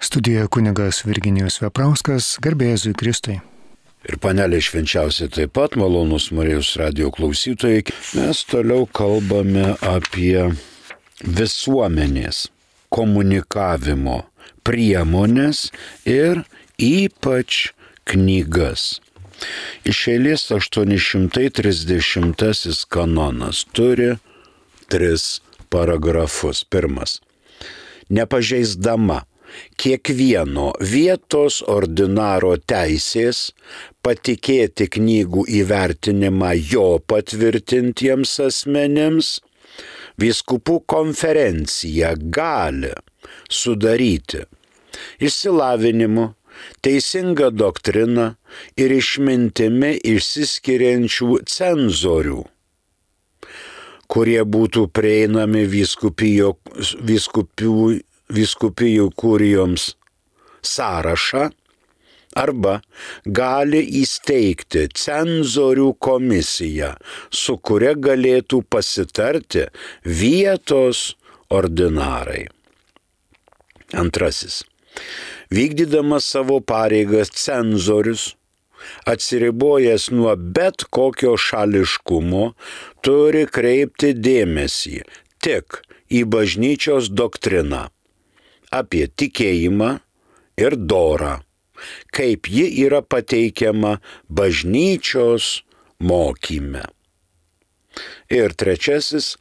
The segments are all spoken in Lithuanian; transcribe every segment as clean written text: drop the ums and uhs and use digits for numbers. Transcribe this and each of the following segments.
Studijoje kunigas Virginijus Veprauskas, garbė Jėzui Kristui. Ir panelė švenčiausia taip pat, malonus Marijos radijo klausytojai. Mes toliau kalbame apie visuomenės komunikavimo priemonės ir ypač knygas. Iš eilės 830 kanonas turi 3 paragrafus. Pirmas. Nepažeisdama kiekvieno vietos ordinaro teisės patikėti knygų įvertinimą jo patvirtintiems asmenims, vyskupų konferencija gali sudaryti išsilavinimu, teisinga doktrina ir išmintimi išsiskiriančių cenzorių, kurie būtų prieinami vyskupijų kurijoms sąrašą, arba gali įsteigti cenzorių komisiją, su kuria galėtų pasitarti vietos ordinarai. Antrasis. Vykdydamas savo pareigas cenzorius, atsiribojęs nuo bet kokio šališkumo, turi kreipti dėmesį tik į bažnyčios doktriną apie tikėjimą ir dorą, kaip ji yra pateikiama bažnyčios mokyme. Ir trečiasis,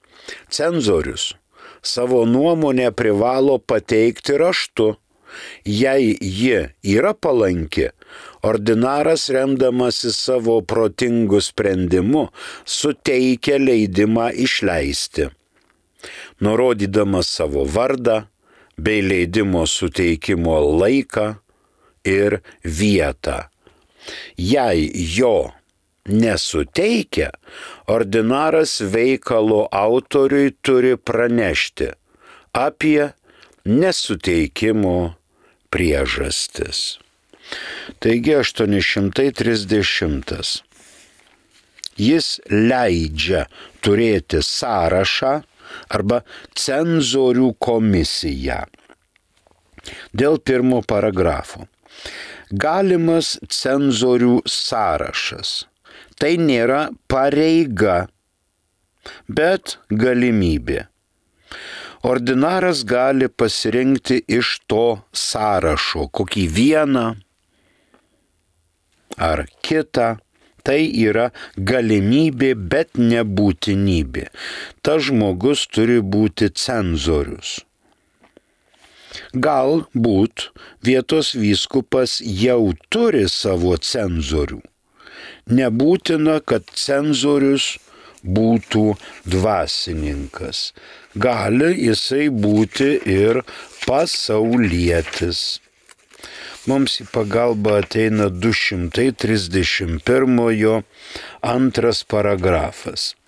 cenzorius savo nuomonę privalo pateikti raštu. Jei ji yra palanki, ordinaras remdamasis savo protingu sprendimu suteikia leidimą išleisti, nurodydamas savo vardą bei leidimo suteikimo laiką ir vietą. Jei jo nesuteikia, ordinaras veikalo autoriui turi pranešti apie nesuteikimo priežastis. Taigi 830. Jis leidžia turėti sąrašą arba cenzorių komisiją. Dėl pirmo paragrafo. Galimas cenzorių sąrašas. Tai nėra pareiga, bet galimybė. Ordinaras gali pasirinkti iš to sąrašo kokį vieną ar kitą. Tai yra galimybė, bet ne būtinybė. Tas žmogus turi būti cenzorius. Galbūt vietos vyskupas jau turi savo cenzorių. Nebūtina, kad cenzorius būtų dvasininkas. Gali jisai būti ir pasaulietis. Mums į pagalbą ateina 231 antras paragrafas.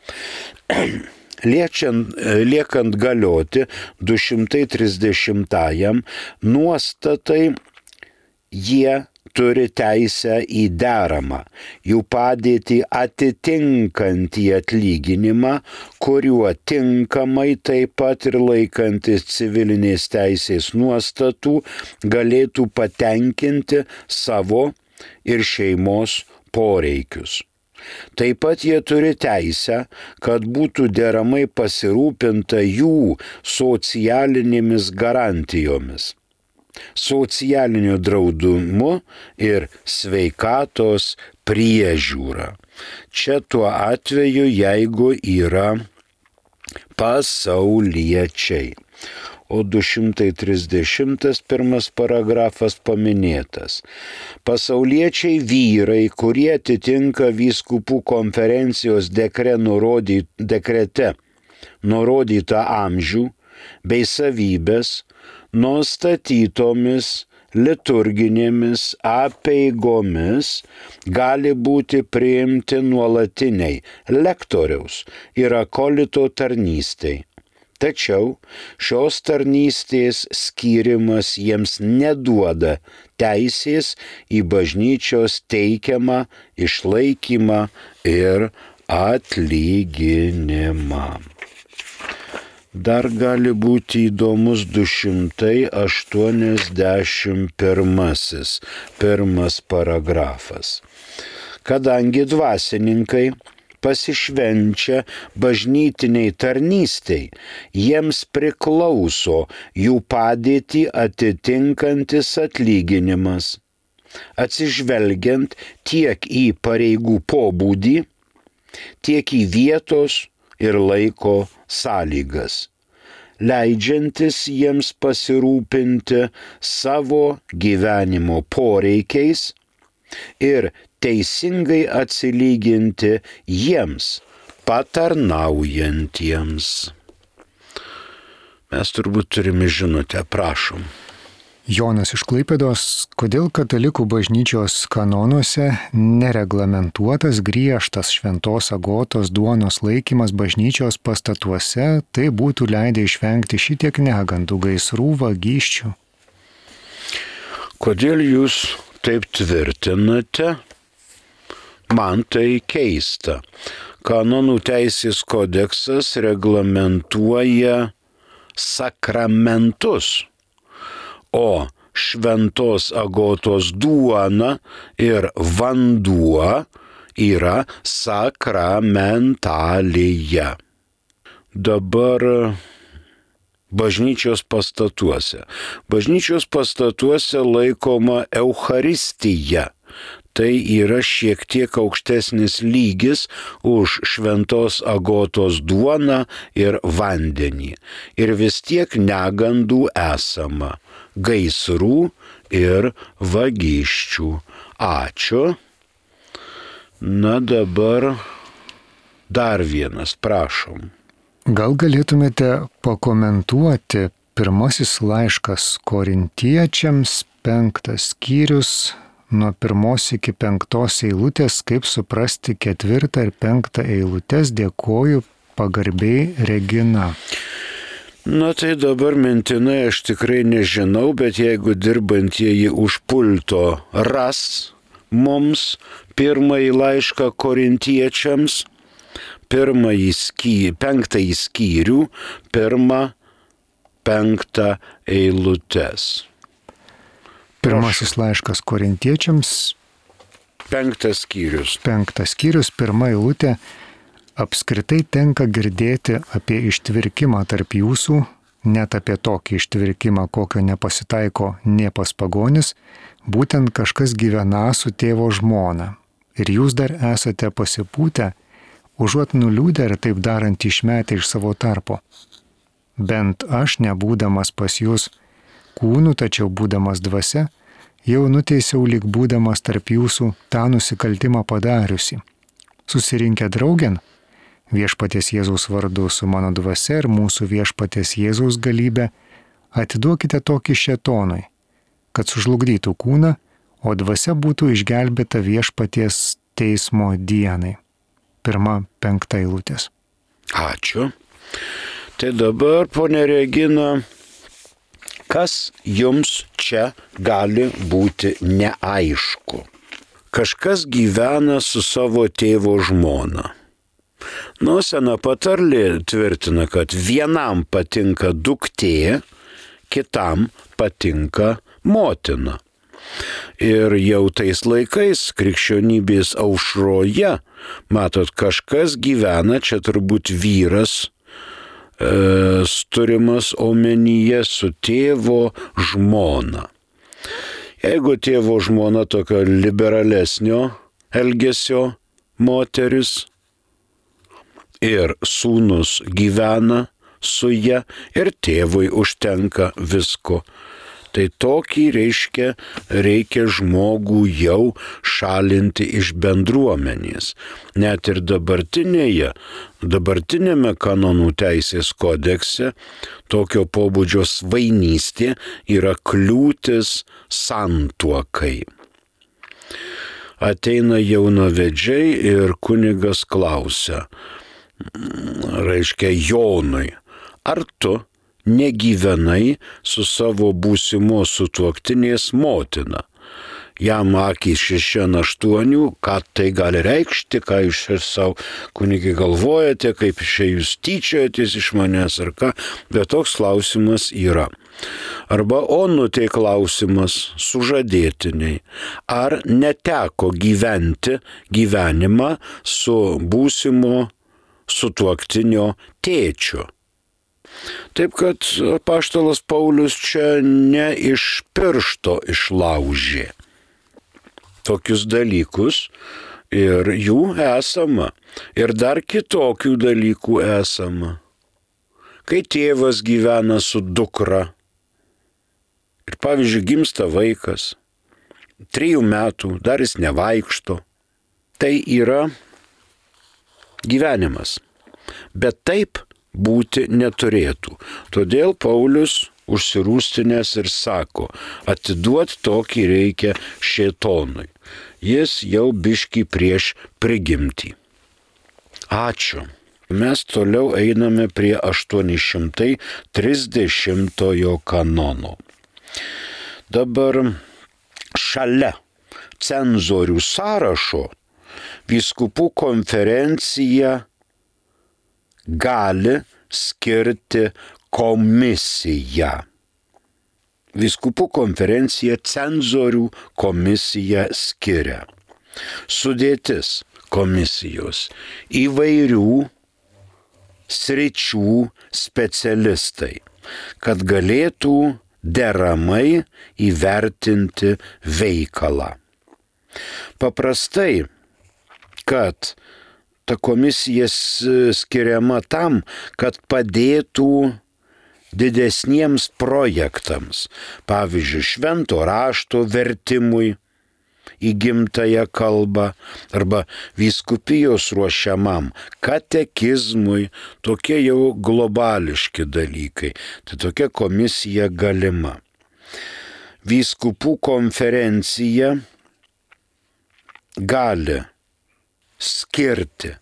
Liekant galioti 230 nuostatai, jie turi teisę į deramą, jų padėtį atitinkantį atlyginimą, kuriuo tinkamai taip pat ir laikantis civilinės teisės nuostatų galėtų patenkinti savo ir šeimos poreikius. Taip pat jie turi teisę, kad būtų deramai pasirūpinta jų socialinėmis garantijomis, socialiniu draudimu ir sveikatos priežiūra. Čia tuo atveju, jeigu yra pasauliečiai. O 231 paragrafas paminėtas. Pasauliečiai vyrai, kurie atitinka vyskupų konferencijos dekrete nurodytą amžių bei savybės, nustatytomis liturginėmis apeigomis gali būti priimti nuolatiniai lektoriaus ir akolito tarnystei. Tačiau šios tarnystės skyrimas jiems neduoda teisės į bažnyčios teikiamą išlaikymą ir atlyginimą. Dar gali būti įdomus 281 pirmas paragrafas. Kadangi dvasininkai pasišvenčia bažnytiniai tarnystei, jiems priklauso jų padėtį atitinkantis atlyginimas, atsižvelgiant tiek į pareigų pobūdį, tiek į vietos ir laiko sąlygas, leidžiantis jiems pasirūpinti savo gyvenimo poreikiais ir teisingai atsilyginti jiems patarnaujantiems. Mes turbūt turime žinutę, prašom. Jonas iš Klaipėdos, kodėl katalikų bažnyčios kanonuose nereglamentuotas griežtas šventos agotos duonos laikymas bažnyčios pastatuose, tai būtų leidę išvengti šitiek negandų, gaisrų, vagysčių? Kodėl jūs taip tvirtinate? Man tai keista. Kanonų teisės kodeksas reglamentuoja sakramentus, o šventos agotos duona ir vanduo yra sakramentalija. Dabar bažnyčios pastatuose. Bažnyčios pastatuose laikoma Eucharistija. Tai yra šiek tiek aukštesnis lygis už šventos agotos duoną ir vandenį. Ir vis tiek negandų esama, gaisrų ir vagysčių. Ačiū. Na dabar dar vienas, prašom. Gal galėtumėte pakomentuoti pirmasis laiškas Korintiečiams, 5 skyrius, nuo 1 iki 5 eilutės, kaip suprasti 4 ir 5 eilutės, dėkoju pagarbiai Regina. Na tai dabar mintinai aš tikrai nežinau, bet jeigu dirbantieji už pulto ras mums pirmąjį laišką Korintiečiams, 5 skyrių, 1-5 eilutės. Pirmasis laiškas Korintiečiams, 5 skyrius. 5 skyrius, 1 eilutė. Apskritai tenka girdėti apie ištvirkimą tarp jūsų, net apie tokį ištvirkimą, kokio nepasitaiko nė pas pagonis, būtent kažkas gyvena su tėvo žmona. Ir jūs dar esate pasipūtę, užuot nuliūdę ir taip darant išmetę iš savo tarpo. Bent aš, nebūdamas pas jūs kūnų, tačiau būdamas dvasia, jau nuteisiau lyg būdamas tarp jūsų tą nusikaltimą padariusi. Susirinkę draugėn, viešpaties Jėzaus vardu su mano dvasia ir mūsų viešpaties Jėzaus galybė, atiduokite tokį šėtonui, kad sužlugdytų kūną, o dvasia būtų išgelbėta viešpaties teismo dienai. 1-5 eilutės. Ačiū. Tai dabar, ponė Regina, kas jums čia gali būti neaišku? Kažkas gyvena su savo tėvo žmona. Sena patarlė tvirtina, kad vienam patinka duktė, kitam patinka motina. Ir jau tais laikais krikščionybės aušroje, matot, kažkas gyvena, čia turbūt vyras, turimas omenyje su tėvo žmona. Jeigu tėvo žmona tokio liberalesnio elgesio moteris ir sūnus gyvena su ja ir tėvui užtenka visko, tai tokį reikia žmogų jau šalinti iš bendruomenės. Net ir dabartinėme kanonų teisės kodekse tokio pobūdžio svainystė yra kliūtis santuokai. Ateina jaunavedžiai ir kunigas klausia, Jonui, ar tu negyvenai su savo būsimos sutuoktinės motina? jam akys 6 ant 8, ką tai gali reikšti, ką jūs ir savo kunigai galvojate, kaip jūs tyčiojatės iš manęs ar ką, bet toks klausimas yra. Arba onutė klausimas sužadėtiniai, ar neteko gyventi gyvenimą su būsimo sutuoktinio tėčiu. Taip kad apaštalas Paulius čia ne iš piršto išlaužė tokius dalykus ir jų esama. Ir dar kitokių dalykų esama. Kai tėvas gyvena su dukra ir pavyzdžiui gimsta vaikas, 3 metų, dar jis nevaikšto, tai yra gyvenimas. Bet taip būti neturėtų. Todėl Paulius užsirūstinęs ir sako, atiduot tokį reikia šėtonui. Jis jau biškį prieš prigimtį. Ačiū. Mes toliau einame prie 830 kanono. Dabar šalia cenzorių sąrašo vyskupų konferencija gali skirti komisiją. Vyskupų konferencija cenzorių komisiją skiria. Sudėtis komisijos įvairių sričių specialistai, kad galėtų deramai įvertinti veikalą. Paprastai, kad ta komisija skiriama tam, kad padėtų didesniems projektams, pavyzdžiui, švento rašto vertimui į gimtąją kalbą arba vyskupijos ruošiamam katekizmui, tokie jau globališki dalykai. Tai tokia komisija galima. Vyskupų konferencija gali skirti,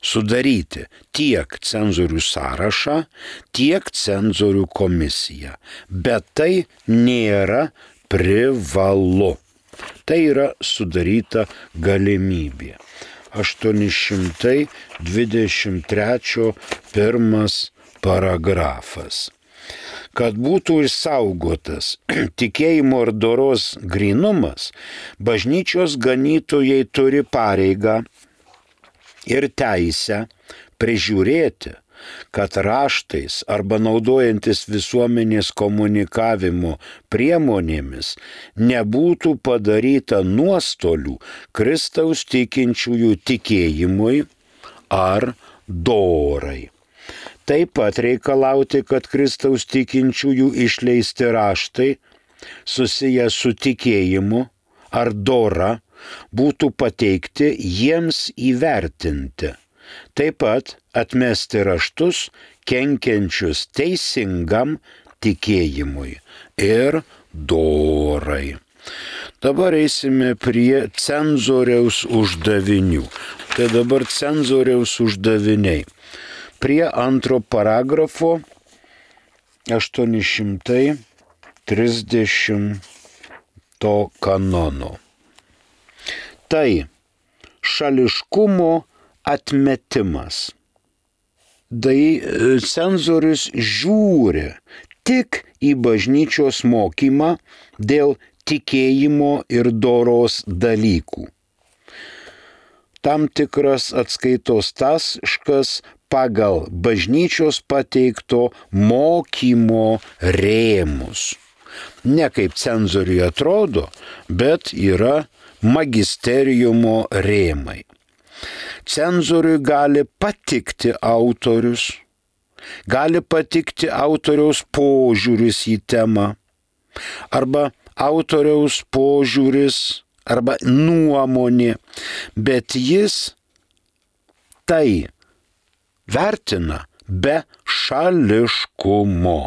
sudaryti tiek cenzorių sąrašą, tiek cenzorių komisiją. Bet tai nėra privalu. Tai yra sudaryta galimybė. 823 1 paragrafas. Kad būtų išsaugotas tikėjimo ir doros grynumas, bažnyčios ganytojai turi pareigą ir teisę prižiūrėti, kad raštais arba naudojantis visuomenės komunikavimo priemonėmis nebūtų padaryta nuostolių Kristaus tikinčiųjų tikėjimui ar dorai. Taip pat reikalauti, kad Kristaus tikinčiųjų išleisti raštai susiję su tikėjimu ar dora būtų pateikti jiems įvertinti. Taip pat atmesti raštus kenkiančius teisingam tikėjimui ir dorai. Dabar eisime prie cenzoriaus uždavinių. Tai dabar cenzoriaus uždaviniai. Prie 2 paragrafo 830 kanono. Tai šališkumo atmetimas. Tai cenzorius žiūri tik į bažnyčios mokymą dėl tikėjimo ir doros dalykų. Tam tikras atskaitos taškas pagal bažnyčios pateikto mokymo rėmus. Ne kaip cenzoriui atrodo, bet yra magisteriumo rėmai. Cenzoriui gali patikti autorius, gali patikti autoriaus požiūris į temą, arba autoriaus požiūris, arba nuomonė, bet jis tai vertina be šališkumo.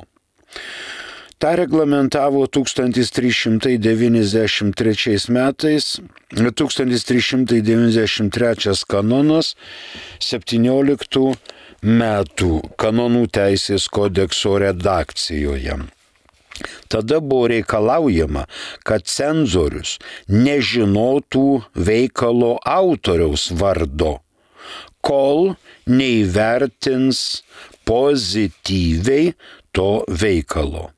Ta reglamentavo 1393 metais, 1393 kanonas 17 metų kanonų teisės kodekso redakcijoje. Tada buvo reikalaujama, kad cenzorius nežinotų veikalo autoriaus vardo, kol neįvertins pozityviai to veikalo.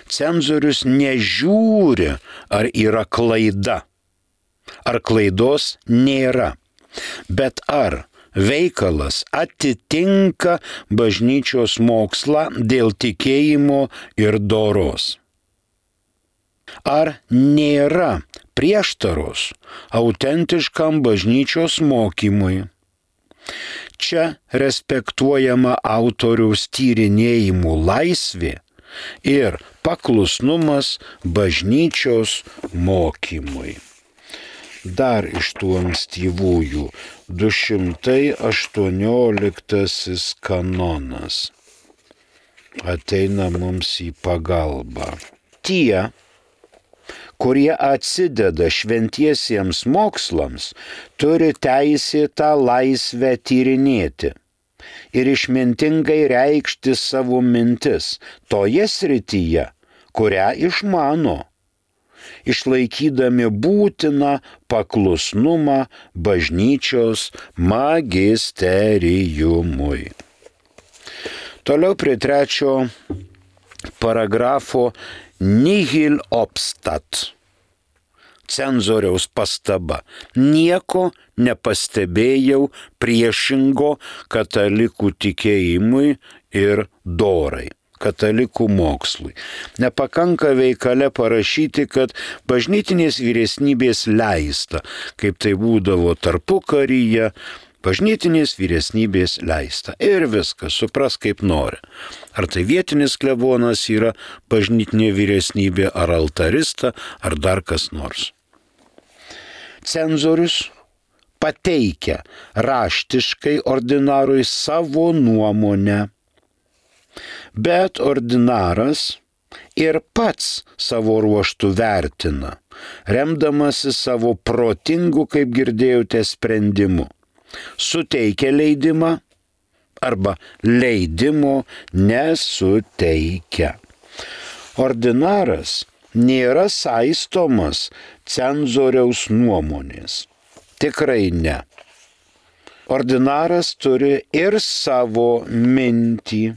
Cenzorius nežiūri, ar yra klaida, ar klaidos nėra, bet ar veikalas atitinka bažnyčios mokslą dėl tikėjimo ir doros. Ar nėra prieštaros autentiškam bažnyčios mokymui. Čia respektuojama autoriaus tyrinėjimų laisvė ir paklusnumas bažnyčios mokymui. Dar iš tų ankstyvųjų 218 kanonas ateina mums į pagalbą. Tie, kurie atsideda šventiesiems mokslams, turi teisėtą laisvę tyrinėti ir išmintingai reikšti savo mintis toje srityje, kurią išmano, išlaikydami būtiną paklusnumą bažnyčios magisteriumui. Toliau prie 3 paragrafo nihil obstat. Cenzoriaus pastaba. Nieko nepastebėjau priešingo katalikų tikėjimui ir dorai, katalikų mokslui. Nepakanka veikale parašyti, kad bažnytinės vyresnybės leista, kaip tai būdavo tarpukaryje, bažnytinės vyresnybės leista. Ir viskas, supras kaip nori. Ar tai vietinis klebonas yra bažnytinė vyresnybė, ar altarista, ar dar kas nors. Cenzorius pateikia raštiškai ordinarui savo nuomonę, bet ordinaras ir pats savo ruoštų vertina, remdamasi savo protingu, kaip girdėjote, sprendimu. Suteikia leidimą arba leidimo nesuteikia. Ordinaras nėra saistomas cenzoriaus nuomonės. Tikrai ne. Ordinaras turi ir savo mintį.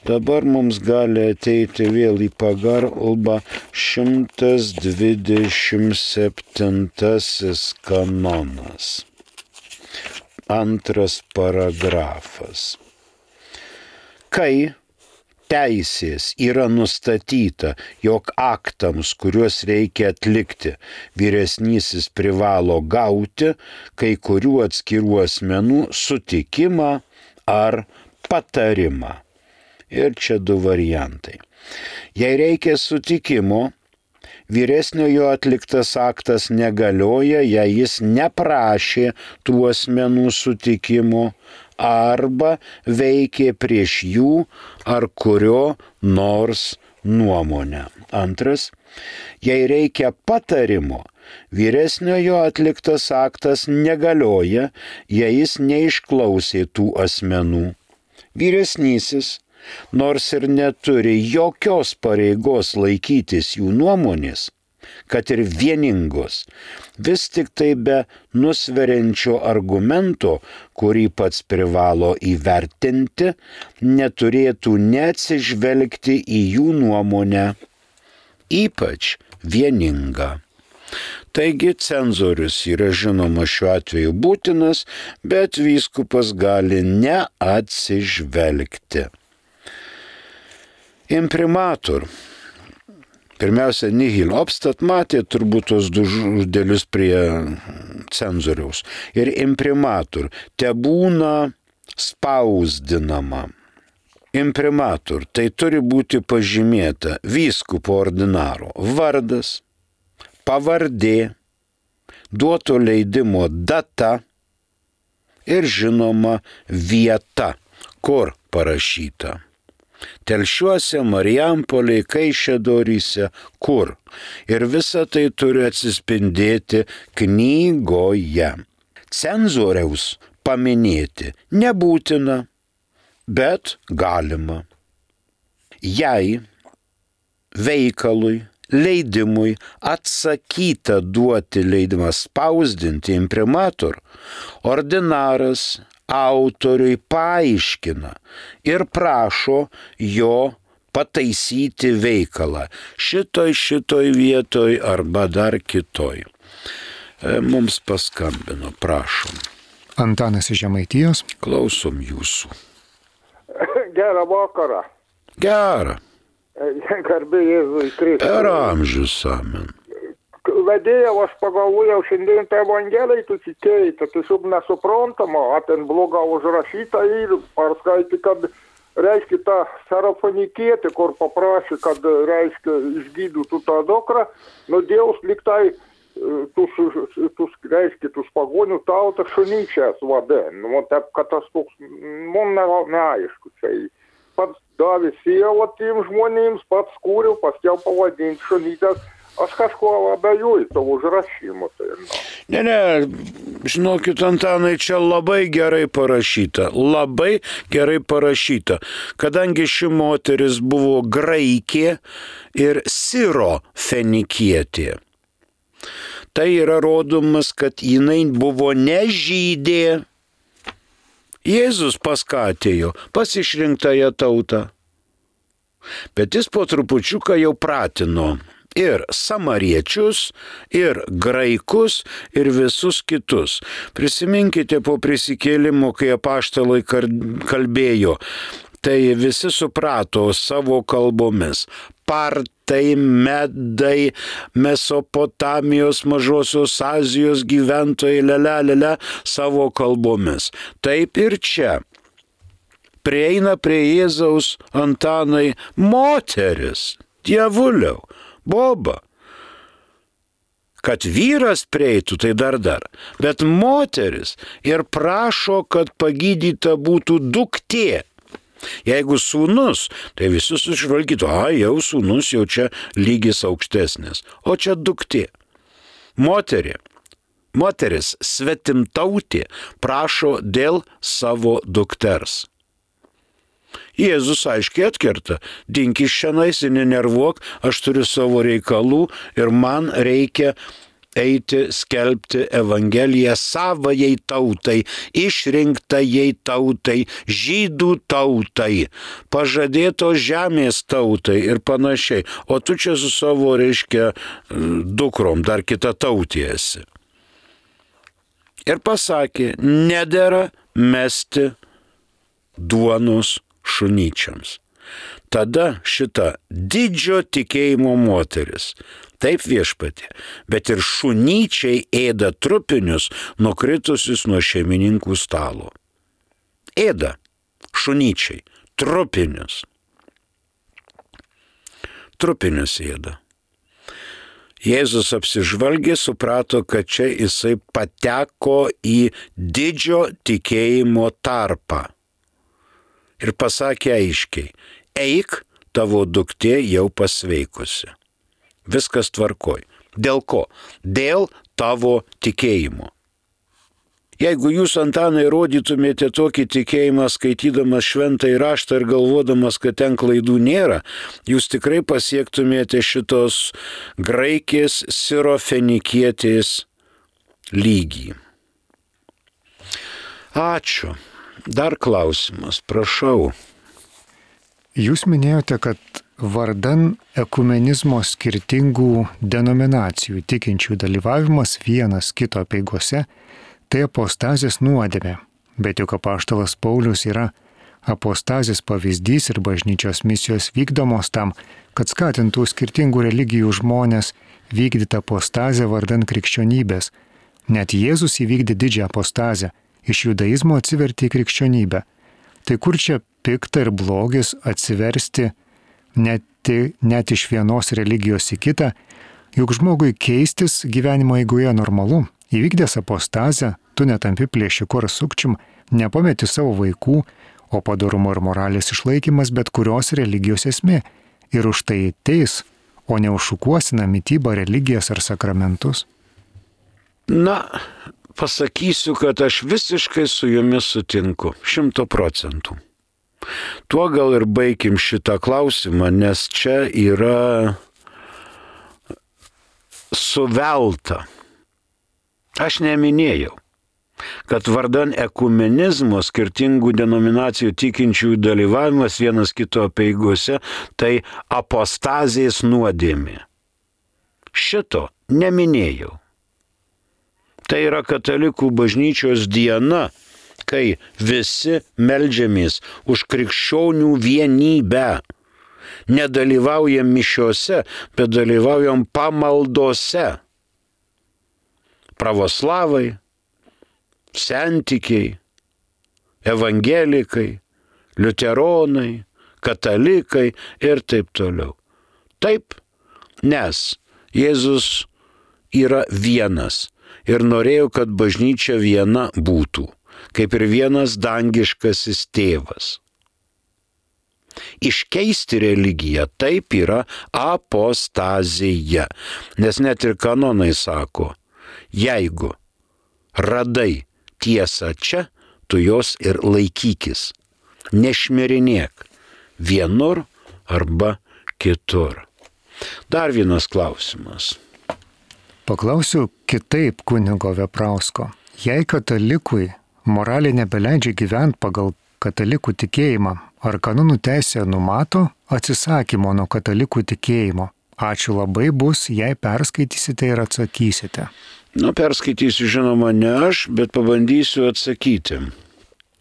Dabar mums gali ateiti vėl į pagalbą 127 kanonas. 2 paragrafas. Kai teisės yra nustatyta, jog aktams, kuriuos reikia atlikti, vyresnysis privalo gauti kai kurių atskirų asmenų sutikimą ar patarimą. Ir čia 2 variantai. Jei reikia sutikimo, vyresniojo atliktas aktas negalioja, jei jis neprašė tų asmenų sutikimo arba veikė prieš jų ar kurio nors nuomonę. 2. Jei reikia patarimo, vyresniojo atliktas aktas negalioja, jei jis neišklausė tų asmenų. Vyresnysis, nors ir neturi jokios pareigos laikytis jų nuomonės, kad ir vieningos, vis tik tai be nusveriančio argumento, kurį pats privalo įvertinti, neturėtų neatsižvelgti į jų nuomonę, ypač vieningą. Taigi cenzorius yra žinoma šiuo atveju būtinas, bet vyskupas gali neatsižvelgti. Imprimatur. Pirmiausia, nihil obstat, matė turbūt tos 2 žodelius prie cenzoriaus. Ir imprimatur, te būna spausdinama. Imprimatur, tai turi būti pažymėta vyskupo ordinaro vardas, pavardė, duoto leidimo data ir žinoma vieta, kur parašyta. Telšiuose, Marijampolėje, Kaišiadoryse, kur. Ir visa tai turi atsispindėti knygoje. Cenzoriaus paminėti nebūtina, bet galima. Jei veikalui, leidimui atsakyta duoti leidimą spausdinti imprimatur, ordinaras autoriui paaiškina ir prašo jo pataisyti veikalą šitoj vietoj arba dar kitoj. Mums paskambino, prašom. Antanas iš Žemaitijos. Klausom jūsų. Gerą vakarą. Gerą. Garbė Jėzui Kristui. Per amžius, amen. Vedėjau, aš pagalvojau, šiandien tą Evangeliją tu tikėjai, tai tiesiog nesuprantama, ten bloga užrašyta ir perskaitė, kad, reiškia, ta Serafonikietė, kur paprašė, kad, reiškia, išgydytų tą dukrą, nu Dievs liktai reiškia, tus pagonių tautą šunyčias vadin. Nu, taip, kad tas toks, man neaišku, tai pats davė sielą tiem žmonėms, pats kūriau, paskiau pavadinti šunytės. Aš kažko abejoju to užrašymu. Tai, Ne, žinokit, Antanai, čia labai gerai parašyta. Labai gerai parašyta. Kadangi ši moteris buvo graikė ir sirofenikietė. Tai yra rodomas, kad jinai buvo ne žydė. Jėzus paskatėjo pas išrinktąją tautą. Bet jis po trupučiuką jau pratino ir samariečius, ir graikus, ir visus kitus. Prisiminkite po prisikėlimo, kai apaštalai kalbėjo, tai visi suprato savo kalbomis. Partai, medai, Mesopotamijos, Mažosios Azijos gyventojai, savo kalbomis. Taip ir čia. Prieina prie Jėzaus Antanai moteris, dievuliau, boba. Kad vyras prieitų, tai dar. Bet moteris ir prašo, kad pagydyta būtų duktė. Jeigu sūnus, tai visus išvalgytų, jau sūnus, jau čia lygis aukštesnis, o čia duktė. Moteris svetimtautė prašo dėl savo dukters. Jėzus aiškiai atkerta, dink iš šianais ir nenervuok, aš turiu savo reikalų ir man reikia eiti skelbti Evangeliją savajai tautai, išrinktajai tautai, žydų tautai, pažadėtos žemės tautai ir panašiai. O tu čia su savo, reiškia, dukrom, dar kita tautė esi. Ir pasakė, nedera mesti duonos šunyčiams. Tada šita didžio tikėjimo moteris, taip viešpatie, bet ir šunyčiai ėda trupinius nukritusius nuo šeimininkų stalo. Ėda šunyčiai, trupinius. Trupinius ėda. Jėzus apsižvalgė, suprato, kad čia jisai pateko į didžio tikėjimo tarpą. Ir pasakė aiškiai, eik, tavo duktė jau pasveikusi. Viskas tvarkoj. Dėl ko? Dėl tavo tikėjimo. Jeigu jūs, Antanai, rodytumėte tokį tikėjimą, skaitydamas šventąjį raštą ir galvodamas, kad ten klaidų nėra, jūs tikrai pasiektumėte šitos graikės sirofenikietės lygį. Ačiū. Dar klausimas, prašau. Jūs minėjote, kad vardan ekumenizmo skirtingų denominacijų tikinčių dalyvavimas vienas kito apeigose tai apostazės nuodėmė, bet juk apaštalas Paulius yra apostazės pavyzdys ir bažnyčios misijos vykdomos tam, kad skatintų skirtingų religijų žmonės vykdyti apostazę vardan krikščionybės. Net Jėzus įvykdė didžią apostazę, iš judaizmo atsivertė į krikščionybę. Tai kur čia pikta ir blogis atsiversti net iš vienos religijos į kitą, juk žmogui keistis gyvenimo eigoje normalu. Įvykdęs apostazę, tu netampi plėšiku ar sukčium, nepameti savo vaikų, o padorumo ir moralės išlaikymas bet kurios religijos esmė. Ir už tai teis, o ne užšukuosina mitybą, religijas ar sakramentus. Na, pasakysiu, kad aš visiškai su jumis sutinku, 100%. Tuo gal ir baigim šitą klausimą, nes čia yra suvelta. Aš neminėjau, kad vardan ekumenizmo skirtingų denominacijų tikinčiųjų dalyvavimas vienas kito apeigose tai apostazijos nuodėmė. Šito neminėjau. Tai yra katalikų bažnyčios diena, kai visi meldžiamės už krikščionių vienybę. Nedalyvaujam mišiose, bet dalyvaujam pamaldose. Pravoslavai, sentikiai, evangelikai, liuteronai, katalikai ir taip toliau. Taip, nes Jėzus yra vienas ir norėjo, kad bažnyčia viena būtų, kaip ir vienas dangiškasis tėvas. Iškeisti religiją taip yra apostazija, nes net ir kanonai sako, jeigu radai tiesą čia, tu jos ir laikykis, nešmirinėk vienur arba kitur. Dar vienas klausimas. Paklausiu kitaip kunigo Veprausko. Jei katalikui moralė nebeleidžia gyventi pagal katalikų tikėjimą, ar kanonų teisė numato atsisakymo nuo katalikų tikėjimo? Ačiū labai bus, jei perskaitysite ir atsakysite. Perskaitysiu žinoma ne aš, bet pabandysiu atsakyti.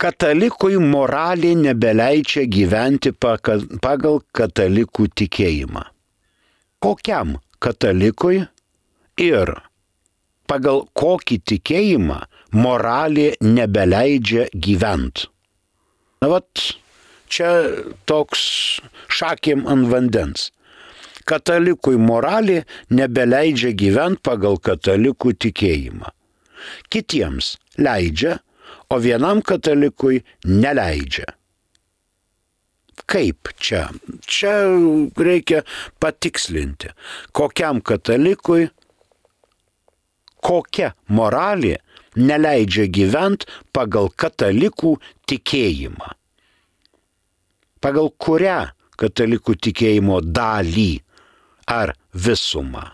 Katalikui moralė nebeleidžia gyventi pagal katalikų tikėjimą. Kokiam katalikui ir pagal kokį tikėjimą moralė nebeleidžia gyventi? Čia toks šakėm ant vandens. Katalikui moralė nebeleidžia gyventi pagal katalikų tikėjimą. Kitiems leidžia, o vienam katalikui neleidžia. Kaip čia? Čia reikia patikslinti, kokiam katalikui kokia moralė neleidžia gyventi pagal katalikų tikėjimą. Pagal kurią katalikų tikėjimo dalį ar visumą.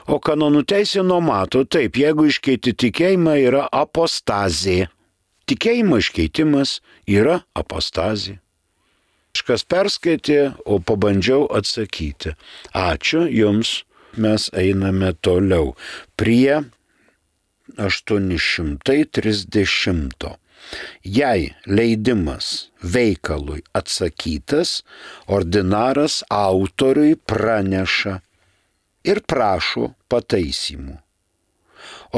O kanonų teisė numato taip, jeigu iškeiti tikėjimą yra apostazija. Tikėjimo iškeitimas yra apostazija. Kažkas perskaitė, o pabandžiau atsakyti. Ačiū jums, mes einame toliau prie 830. Jei leidimas veikalui atsakytas, ordinaras autoriui praneša ir prašo pataisymų.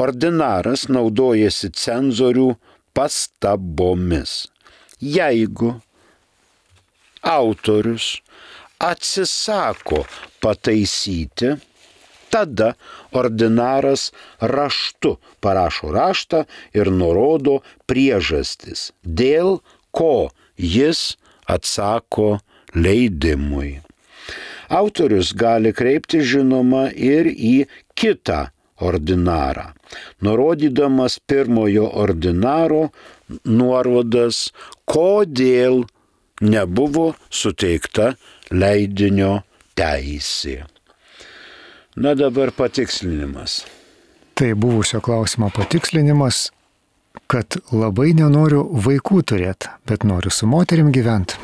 Ordinaras naudojasi cenzorių pastabomis. Jeigu autorius atsisako pataisyti, tada ordinaras raštu parašo raštą ir nurodo priežastis, dėl ko jis atsako leidimui. Autorius gali kreipti žinoma ir į kitą ordinarą, nurodydamas pirmojo ordinaro nuorodas, kodėl nebuvo suteikta leidinio teisė. Dabar patikslinimas. Tai buvusio klausimo patikslinimas, kad labai nenoriu vaikų turėti, bet noriu su moterim gyventi.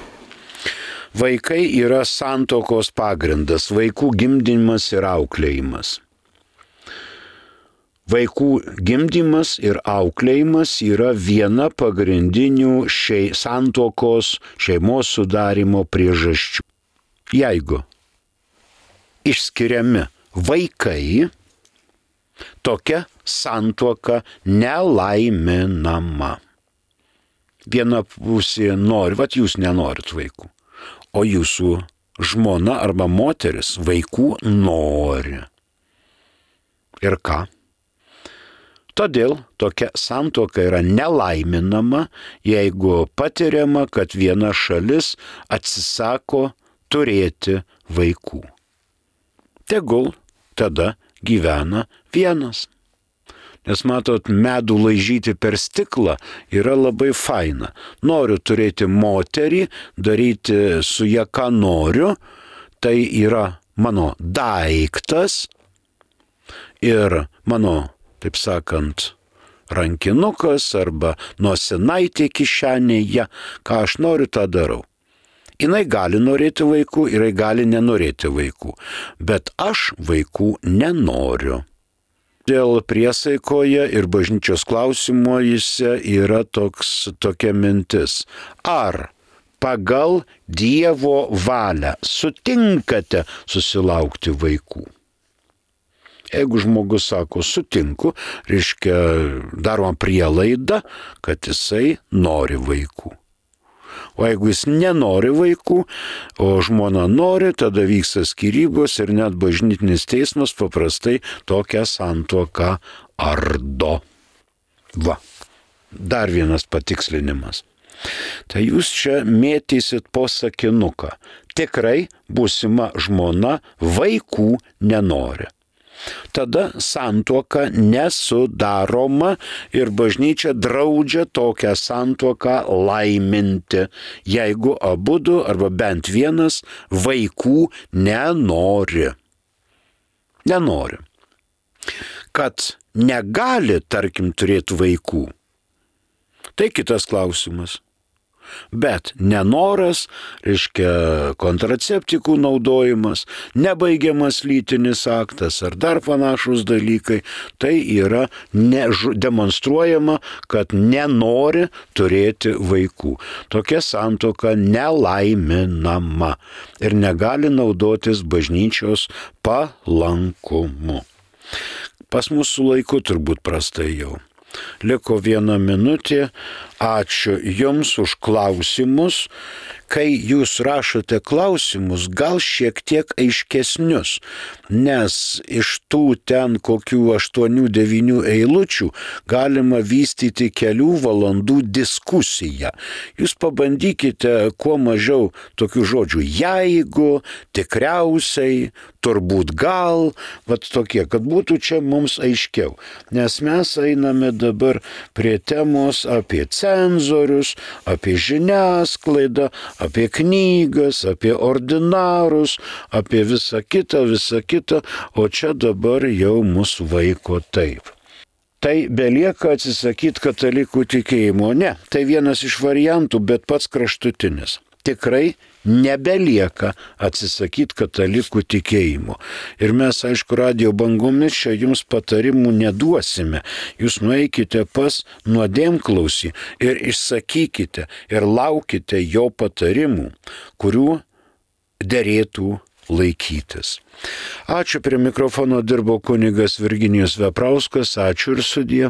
Vaikai yra santuokos pagrindas, vaikų gimdymas ir auklėjimas. Vaikų gimdymas ir auklėjimas yra viena pagrindinių santuokos šeimos sudarimo priežasčių. Jeigu išskiriami vaikai, tokia santuoka nelaiminama. Viena pusė nori, jūs nenorit vaikų, o jūsų žmona arba moteris vaikų nori. Ir ką? Todėl tokia santuoka yra nelaiminama, jeigu patiriama, kad viena šalis atsisako turėti vaikų. Tegul tada gyvena vienas. Nes matot, medų laižyti per stiklą yra labai faina. Noriu turėti moterį, daryti su ją ką noriu, tai yra mano daiktas ir mano, taip sakant, rankinukas arba nosinaitė kišenėje, ką aš noriu, tą darau. Jinai gali norėti vaikų, jinai gali nenorėti vaikų, bet aš vaikų nenoriu. Dėl priesaikoje ir bažnyčios klausimuose yra tokia mintis. Ar pagal Dievo valią sutinkate susilaukti vaikų? Jeigu žmogus sako sutinku, reiškia daroma prielaida, kad jisai nori vaikų. O jeigu jis nenori vaikų, o žmona nori, tada vyksta skyrybos ir net bažnytinis teismas paprastai tokią santuoką ardo. Va, dar vienas patikslinimas. Tai jūs čia mėtysit po sakinuką. Tikrai būsima žmona vaikų nenori. Tada santuoka nesudaroma ir bažnyčia draudžia tokią santuoką laiminti, jeigu abudu arba bent vienas vaikų nenori. Nenori. Kad negali, tarkim, turėti vaikų, tai kitas klausimas. Bet nenoras, reiškia kontraceptikų naudojimas, nebaigiamas lytinis aktas ar dar panašus dalykai, tai yra demonstruojama, kad nenori turėti vaikų. Tokia santuoka nelaiminama ir negali naudotis bažnyčios palankumu. Pas mūsų laiku turbūt prastai jau. Liko 1 minutė. Ačiū Jums už klausimus. Kai Jūs rašote klausimus, gal šiek tiek aiškesnius, nes iš tų ten kokių 8-9 eilučių galima vystyti kelių valandų diskusiją. Jūs pabandykite kuo mažiau tokių žodžių jeigu, tikriausiai, turbūt gal, vat tokie, kad būtų čia mums aiškiau. Nes mes einame dabar prie temos apie cenzorius, apie žiniasklaidą, apie knygas, apie ordinarus, apie visą kitą, o čia dabar jau mus vaiko taip. Tai belieka atsisakyti katalikų tikėjimo. Ne, tai vienas iš variantų, bet pats kraštutinis. Tikrai nebelieka atsisakyti katalikų tikėjimo. Ir mes, aišku, radijo bangomis čia jums patarimų neduosime. Jūs nueikite pas nuodėmklausį ir išsakykite ir laukite jo patarimų, kurių derėtų laikytis. Ačiū, prie mikrofono dirbo kunigas Virginijus Veprauskas, ačiū ir sudie.